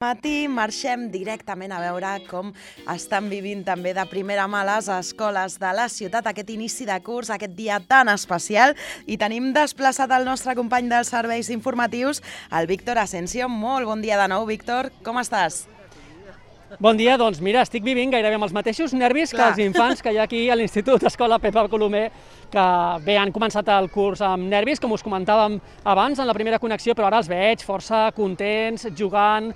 Matí marxem directament a veure com estan vivint també de primera mà les escoles de la ciutat aquest inici de curs, aquest dia tan especial, i tenim desplaçat el nostre company dels serveis informatius, el Víctor Asensio. Molt bon dia de nou, Víctor, com estàs? Bon dia, doncs mira, estic vivint gairebé amb els mateixos nervis que els infants que hi ha aquí a l'Institut Escola Pepa Colomer, que bé, han començat el curs amb nervis, com us comentàvem abans en la primera connexió, però ara els veig força contents, jugant,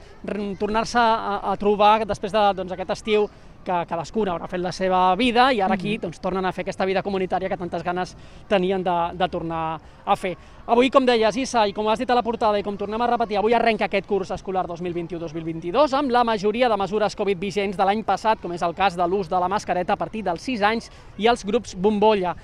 tornar-se a trobar després d'aquest estiu que cadascuna haurà fet la seva vida i ara aquí tornen a fer aquesta vida comunitària que tantes ganes tenien de tornar a fer. Avui, com deies, Issa, i com has dit a la portada i com tornem a repetir, avui arrenca aquest curs escolar 2021-2022 amb la majoria de mesures Covid vigents de l'any passat, com és el cas de l'ús de la mascareta a partir dels 6 anys i els grups bombolla.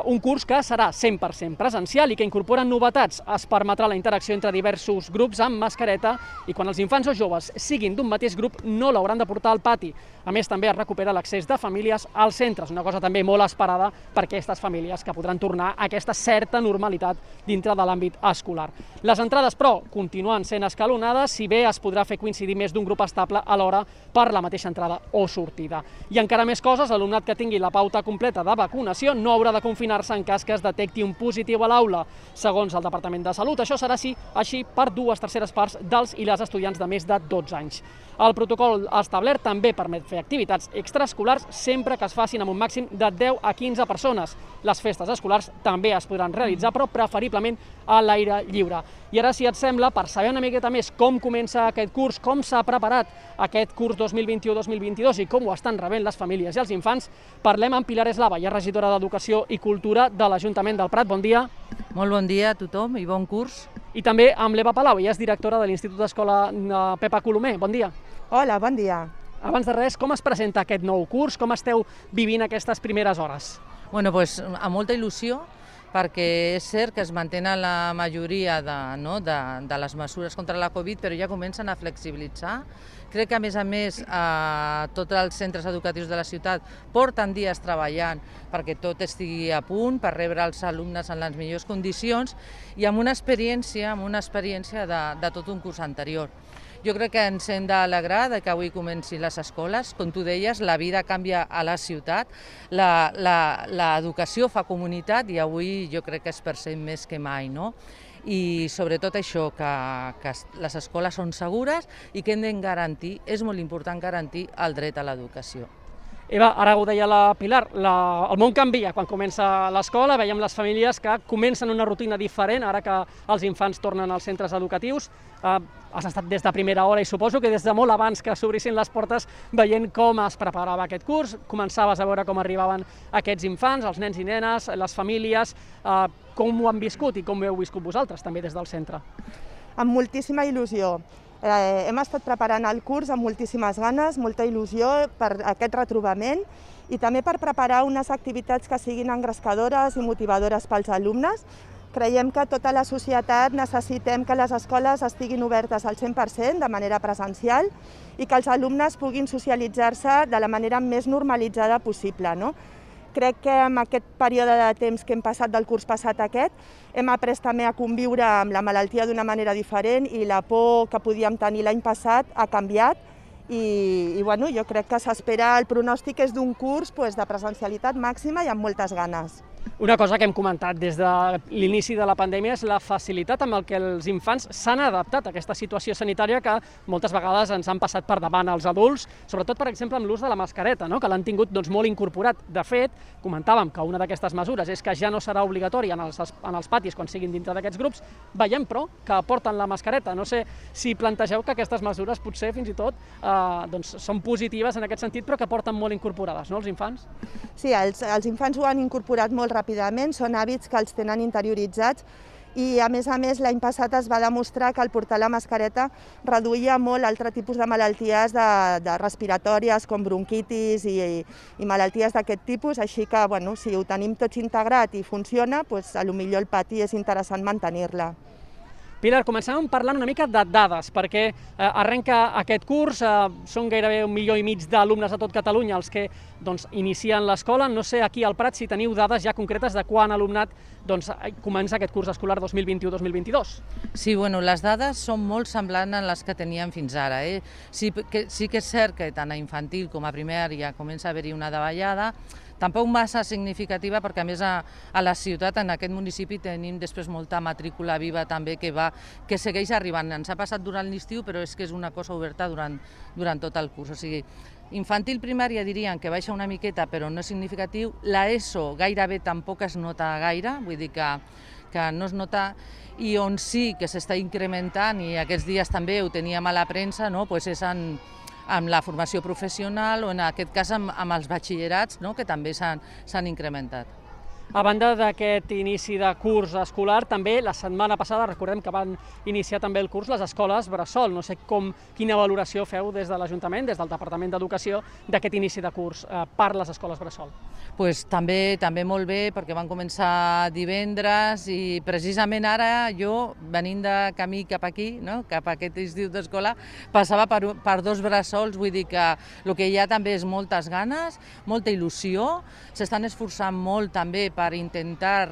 Un curs que serà 100% presencial i que incorpora novetats. Es permetrà la interacció entre diversos grups amb mascareta i quan els infants o joves siguin d'un mateix grup no l'hauran de portar al pati. A més, també es recupera l'accés de famílies als centres, una cosa també molt esperada per aquestes famílies que podran tornar a aquesta certa normalitat dintre de l'àmbit escolar. Les entrades, però, continuen sent escalonades, si bé es podrà fer coincidir més d'un grup estable alhora per la mateixa entrada o sortida. I encara més coses, l'alumnat que tingui la pauta completa de vacunació no haurà de confinar-se en cas que es detecti un positiu a l'aula. Segons el Departament de Salut, això serà així per 2/3 parts dels i les estudiants de més de 12 anys. El protocol establert també permet fer activitats extraescolars sempre que es facin amb un màxim de 10 a 15 persones. Les festes escolars també es podran realitzar, però preferiblement a l'aire lliure. I ara, si et sembla, per saber una miqueta més com comença aquest curs, com s'ha preparat aquest curs 2021-2022 i com ho estan rebent les famílies i els infants, parlem amb Pilar Eslava, ja regidora d'Educació i Cultura de l'Ajuntament del Prat. Bon dia. Molt bon dia a tothom i bon curs. I també amb l'Eva Palau, ella és directora de l'Institut Escola Pepa Colomer. Bon dia. Hola, bon dia. Abans de res, com es presenta aquest nou curs? Com esteu vivint aquestes primeres hores? Bueno, pues, amb molta il·lusió, perquè és cert que es mantenen la majoria de les mesures contra la Covid, però ja comencen a flexibilitzar. Crec que, a més, tots els centres educatius de la ciutat porten dies treballant perquè tot estigui a punt, per rebre els alumnes en les millors condicions i amb una experiència de tot un curs anterior. Jo crec que ens hem d'alegrar que avui comencin les escoles. Com tu deies, la vida canvia a la ciutat, l'educació fa comunitat i avui jo crec que es percep més que mai, no? I sobretot això, que les escoles són segures i que hem de garantir, és molt important garantir el dret a l'educació. Eva, ara ho deia la Pilar, el món canvia quan comença l'escola, veiem les famílies que comencen una rutina diferent ara que els infants tornen als centres educatius. Has estat des de primera hora i suposo que des de molt abans que s'obrissin les portes veient com es preparava aquest curs, començaves a veure com arribaven aquests infants, els nens i nenes, les famílies, com ho han viscut i com ho heu viscut vosaltres també des del centre? Amb moltíssima il·lusió. Hem estat preparant el curs amb moltíssimes ganes, molta il·lusió per aquest retrobament i també per preparar unes activitats que siguin engrescadores i motivadores pels alumnes. Creiem que tota la societat necessitem que les escoles estiguin obertes al 100% de manera presencial i que els alumnes puguin socialitzar-se de la manera més normalitzada possible, no? Crec que en aquest període de temps que hem passat del curs passat aquest hem après també a conviure amb la malaltia d'una manera diferent i la por que podíem tenir l'any passat ha canviat i bueno, jo crec que s'espera, el pronòstic és d'un curs de presencialitat màxima i amb moltes ganes. Una cosa que hem comentat des de l'inici de la pandèmia és la facilitat amb què els infants s'han adaptat a aquesta situació sanitària que moltes vegades ens han passat per davant als adults, sobretot, per exemple, amb l'ús de la mascareta, que l'han tingut molt incorporat. De fet, comentàvem que una d'aquestes mesures és que ja no serà obligatòria en els patis quan siguin dintre d'aquests grups. Veiem, però, que porten la mascareta. No sé si plantegeu que aquestes mesures potser fins i tot són positives en aquest sentit, però que porten molt incorporades, no, els infants? Sí, els infants ho han incorporat molt ràpidament, són hàbits que els tenen interioritzats i, a més, l'any passat es va demostrar que el portar la mascareta reduïa molt altre tipus de malalties de respiratòries com bronquitis i malalties d'aquest tipus, així que, bueno, si ho tenim tots integrat i funciona, potser el pati és interessant mantenir-la. Pilar, començàvem parlant una mica de dades, perquè arrenca aquest curs, són gairebé 1,5 milió d'alumnes a tot Catalunya els que inicien l'escola. No sé aquí al Prat si teniu dades ja concretes de quan alumnat comença aquest curs escolar 2021-2022. Sí, bueno, les dades són molt semblants a les que teníem fins ara. Sí que és cert que tant a infantil com a primària comença a haver-hi una davallada, tampoc massa significativa, perquè a més a la ciutat, en aquest municipi, tenim després molta matrícula viva també que segueix arribant. Ens ha passat durant l'estiu, però és que és una cosa oberta durant tot el curs. O sigui, infantil primària dirien que baixa una miqueta, però no és significatiu. L'ESO gairebé tampoc es nota gaire, vull dir que no es nota, i on sí que s'està incrementant, i aquests dies també ho teníem a la premsa, és amb la formació professional o en aquest cas amb els batxillerats, que també s'han incrementat. A banda d'aquest inici de curs escolar, també la setmana passada recordem que van iniciar també el curs les escoles bressol. No sé quina valoració feu des de l'Ajuntament, des del Departament d'Educació, d'aquest inici de curs per les escoles bressol. També molt bé, perquè van començar divendres i precisament ara jo, venint de camí cap aquí, cap a aquest institut d'escola, passava per 2 bressols, vull dir que el que hi ha també és moltes ganes, molta il·lusió, s'estan esforçant molt també per intentar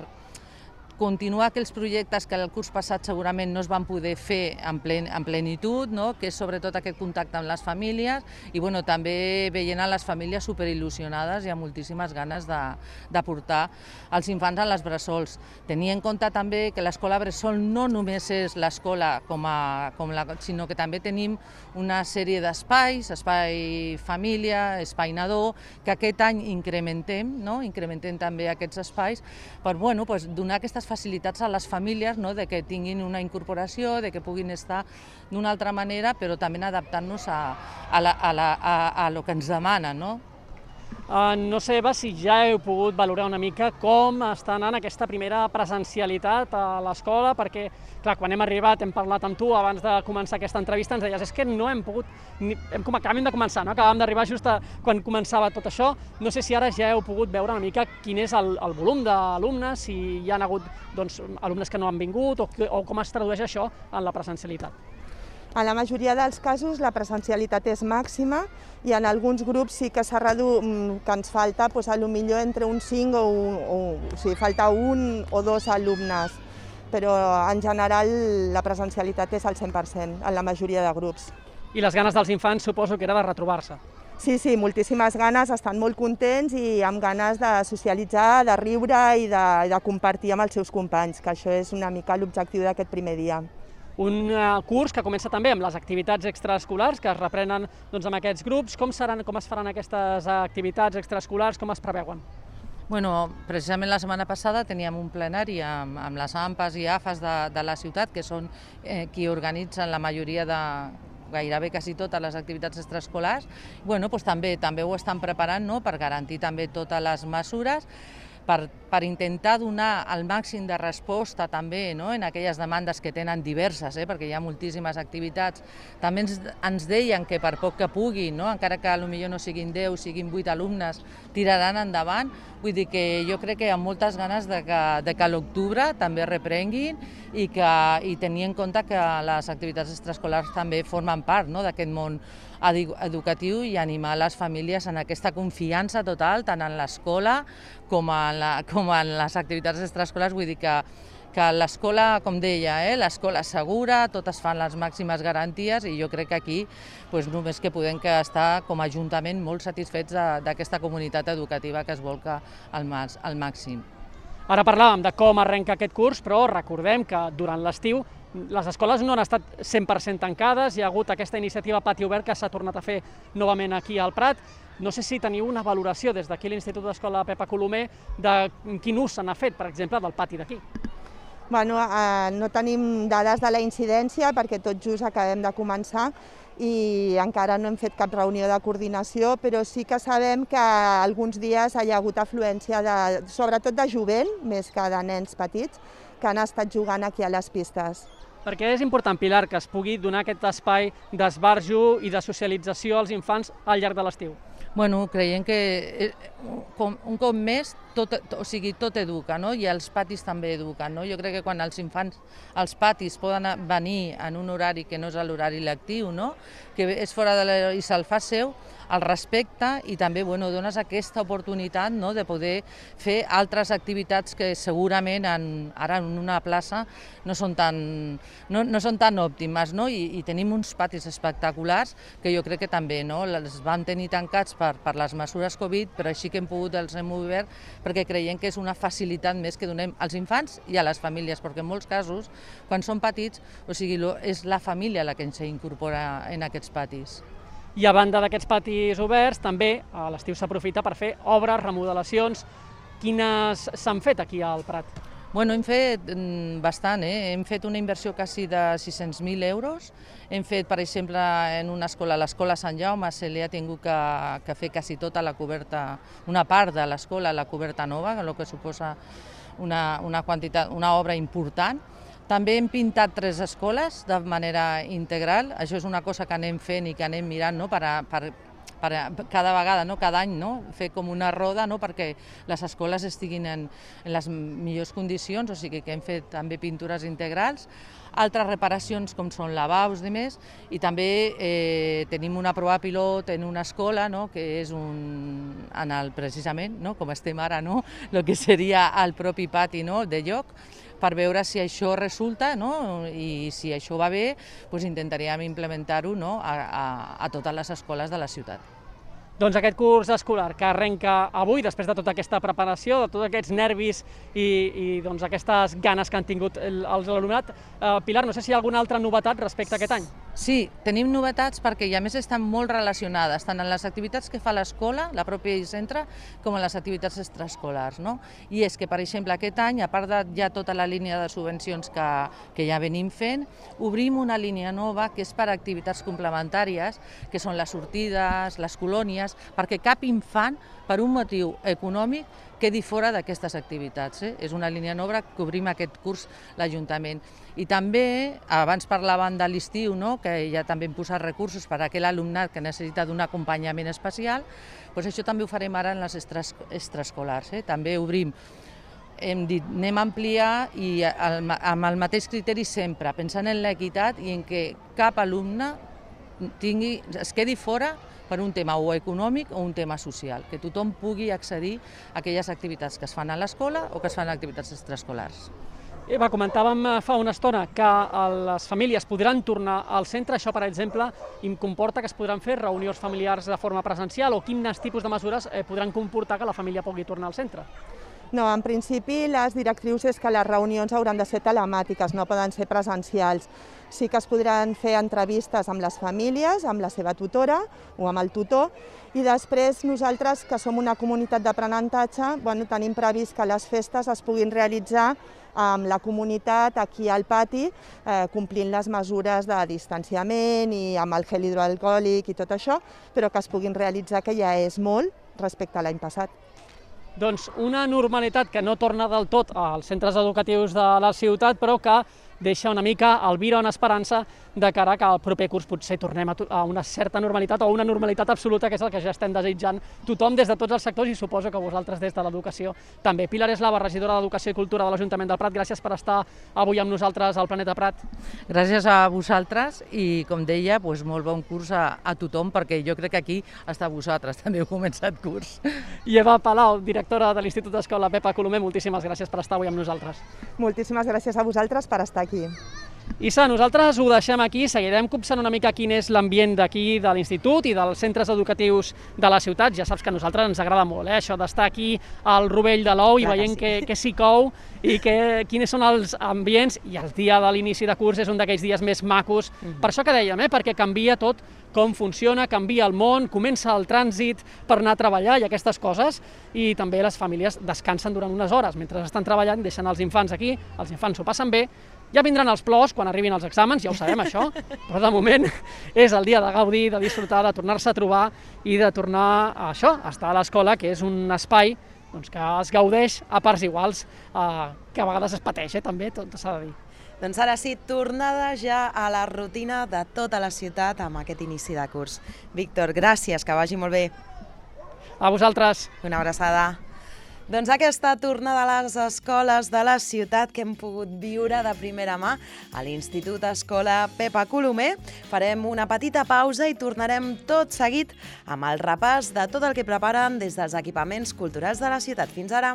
continuar aquells projectes que el curs passat segurament no es van poder fer en plenitud, que és sobretot aquest contacte amb les famílies i també veient a les famílies superil·lusionades i amb moltíssimes ganes de portar els infants a les bressols. Tenir en compte també que l'escola bressol no només és l'escola sinó que també tenim una sèrie d'espais, espai família, espai nadó, que aquest any incrementem també aquests espais per donar aquestes facilitats a les famílies, de que tinguin una incorporació, de que puguin estar d'una altra manera, però també adaptant-nos a lo que ens demanen. No sé, Eva, si ja heu pogut valorar una mica com està anant aquesta primera presencialitat a l'escola, perquè, clar, quan hem arribat, hem parlat amb tu abans de començar aquesta entrevista, ens deies, és que no hem pogut, acabem de començar, acabàvem d'arribar just quan començava tot això. No sé si ara ja heu pogut veure una mica quin és el volum d'alumnes, si hi ha hagut alumnes que no han vingut, o com es tradueix això en la presencialitat. En la majoria dels casos la presencialitat és màxima i en alguns grups sí que s'ha reduït, que ens falta potser entre un 5 o sigui, falta 1 o 2 alumnes, però en general la presencialitat és al 100% en la majoria de grups. I les ganes dels infants suposo que era de retrobar-se. Sí, moltíssimes ganes, estan molt contents i amb ganes de socialitzar, de riure i de compartir amb els seus companys, que això és una mica l'objectiu d'aquest primer dia. Un curs que comença també amb les activitats extraescolars que es reprenen amb aquests grups. Com es faran aquestes activitats extraescolars, com es preveuen? Precisament la setmana passada teníem un plenari amb les AMPAs i AFAs de la ciutat, que són qui organitzen la majoria gairebé quasi totes les activitats extraescolars. També ho estan preparant per garantir també totes les mesures, per intentar donar el màxim de resposta també en aquelles demandes que tenen diverses, perquè hi ha moltíssimes activitats. També ens deien que per poc que puguin, encara que potser no siguin 10, siguin 8 alumnes, tiraran endavant. Vull dir que jo crec que hi ha moltes ganes de que a l'octubre també reprenguin i tenir en compte que les activitats extraescolars també formen part d'aquest món educatiu i animar les famílies en aquesta confiança total, tant en l'escola com en les activitats extraescolars. Vull dir que l'escola, com deia, l'escola segura, totes fan les màximes garanties i jo crec que aquí només que podem estar com a Ajuntament molt satisfets d'aquesta comunitat educativa que es volca al màxim. Ara parlàvem de com arrenca aquest curs, però recordem que durant l'estiu les escoles no han estat 100% tancades, hi ha hagut aquesta iniciativa Pati Obert que s'ha tornat a fer novament aquí al Prat. No sé si teniu una valoració des d'aquí l'Institut d'Escola Pepa Colomer de quin ús se n'ha fet, per exemple, del pati d'aquí. No tenim dades de la incidència perquè tot just acabem de començar i encara no hem fet cap reunió de coordinació, però sí que sabem que alguns dies hi ha hagut afluència, sobretot de jovent, més que de nens petits, que han estat jugant aquí a les pistes. Perquè és important, Pilar, que es pugui donar aquest espai d'esbarjo i de socialització als infants al llarg de l'estiu. Creiem que un cop més tot educa, no? I els patis també eduquen, no? Jo crec que quan els infants als patis poden venir en un horari que no és l'horari lectiu, no? Que és fora de l'horari i se'l fa seu, el respecte i també dones aquesta oportunitat de poder fer altres activitats que segurament ara en una plaça no són tan òptimes, no? I tenim uns patis espectaculars que jo crec que també els vam tenir tancats per les mesures Covid, però així que els hem obert perquè creiem que és una facilitat més que donem als infants i a les famílies, perquè en molts casos, quan són petits, és la família la que ens incorpora en aquests patis. I a banda d'aquests patis oberts, també a l'estiu s'aprofita per fer obres, remodelacions. Quines s'han fet aquí al Prat? Hem fet bastant, hem fet una inversió quasi de 600.000 euros. Hem fet, per exemple, en una escola, l'escola Sant Jaume, se li ha tingut que fer quasi tota la coberta, una part de l'escola, la coberta nova, el que suposa una obra important. També hem pintat 3 escoles de manera integral, això és una cosa que anem fent i que anem mirant per cada vegada, cada any, fer com una roda perquè les escoles estiguin en les millors condicions, o sigui que hem fet també pintures integrals, altres reparacions com són lavabos i més, i també tenim una prova pilot en una escola que és precisament, com estem ara, el que seria el propi pati de lloc, per veure si això resulta i si això va bé, intentaríem implementar-ho a totes les escoles de la ciutat. Doncs aquest curs escolar que arrenca avui, després de tota aquesta preparació, de tots aquests nervis i aquestes ganes que han tingut l'alumnat. Pilar, no sé si hi ha alguna altra novetat respecte a aquest any. Sí, tenim novetats perquè a més estan molt relacionades, tant en les activitats que fa l'escola, la pròpia centre, com en les activitats extraescolars. I és que, per exemple, aquest any, a part de ja tota la línia de subvencions que ja venim fent, obrim una línia nova que és per a activitats complementàries, que són les sortides, les colònies, perquè cap infant, per un motiu econòmic, quedi fora d'aquestes activitats. És una línia nova que obrim aquest curs l'Ajuntament. I també, abans parlàvem de l'estiu, que ja també hem posat recursos per a aquell alumnat que necessita d'un acompanyament especial, doncs això també ho farem ara en les extraescolars. També obrim, hem dit, anem a ampliar i amb el mateix criteri sempre, pensant en l'equitat i en que cap alumne es quedi fora per un tema o econòmic o un tema social, que tothom pugui accedir a aquelles activitats que es fan a l'escola o que es fan a activitats extraescolars. Eva, comentàvem fa una estona que les famílies podran tornar al centre. Això, per exemple, comporta que es podran fer reunions familiars de forma presencial o quins tipus de mesures podran comportar que la família pugui tornar al centre? No, en principi les directrius és que les reunions hauran de ser telemàtiques, no poden ser presencials. Sí que es podran fer entrevistes amb les famílies, amb la seva tutora o amb el tutor, i després nosaltres, que som una comunitat d'aprenentatge, tenim previst que les festes es puguin realitzar amb la comunitat aquí al pati, complint les mesures de distanciament i amb el gel hidroalcohòlic i tot això, però que es puguin realitzar, que ja és molt respecte a l'any passat. Doncs una normalitat que no torna del tot als centres educatius de la ciutat, però que deixa una mica el vira en esperança de cara que al proper curs potser tornem a una certa normalitat o una normalitat absoluta, que és el que ja estem desitjant tothom des de tots els sectors i suposo que vosaltres des de l'educació també. Pilar Eslava, regidora d'Educació i Cultura de l'Ajuntament del Prat, gràcies per estar avui amb nosaltres al Planeta Prat. Gràcies a vosaltres i, com deia, molt bon curs a tothom, perquè jo crec que aquí està vosaltres, també heu començat curs. I Eva Palau, directora de l'Institut d'Escola Pepa Colomer, moltíssimes gràcies per estar avui amb nosaltres. Moltíssimes gràcies a vosaltres per estar aquí. Issa, nosaltres ho deixem aquí, seguirem copsant una mica quin és l'ambient d'aquí, de l'institut i dels centres educatius de la ciutat. Ja saps que a nosaltres ens agrada molt, això d'estar aquí al rovell de l'ou i veient què s'hi cou i quins són els ambients, i el dia de l'inici de curs és un d'aquells dies més macos. Per això que dèiem, perquè canvia tot com funciona, canvia el món, comença el trànsit per anar a treballar i aquestes coses, i també les famílies descansen durant unes hores. Mentre estan treballant, deixen els infants aquí, els infants s'ho passen bé. Ja vindran els plors quan arribin els exàmens, ja ho sabem això, però de moment és el dia de gaudir, de disfrutar, de tornar-se a trobar i de tornar a això, a estar a l'escola, que és un espai que es gaudeix a parts iguals, que a vegades es pateix, també, tot s'ha de dir. Doncs ara sí, tornada ja a la rutina de tota la ciutat amb aquest inici de curs. Víctor, gràcies, que vagi molt bé. A vosaltres. Una abraçada. Doncs aquesta tornada a les escoles de la ciutat que hem pogut viure de primera mà a l'Institut Escola Pepa Colomer. Farem una petita pausa i tornarem tot seguit amb el repàs de tot el que preparen des dels equipaments culturals de la ciutat. Fins ara!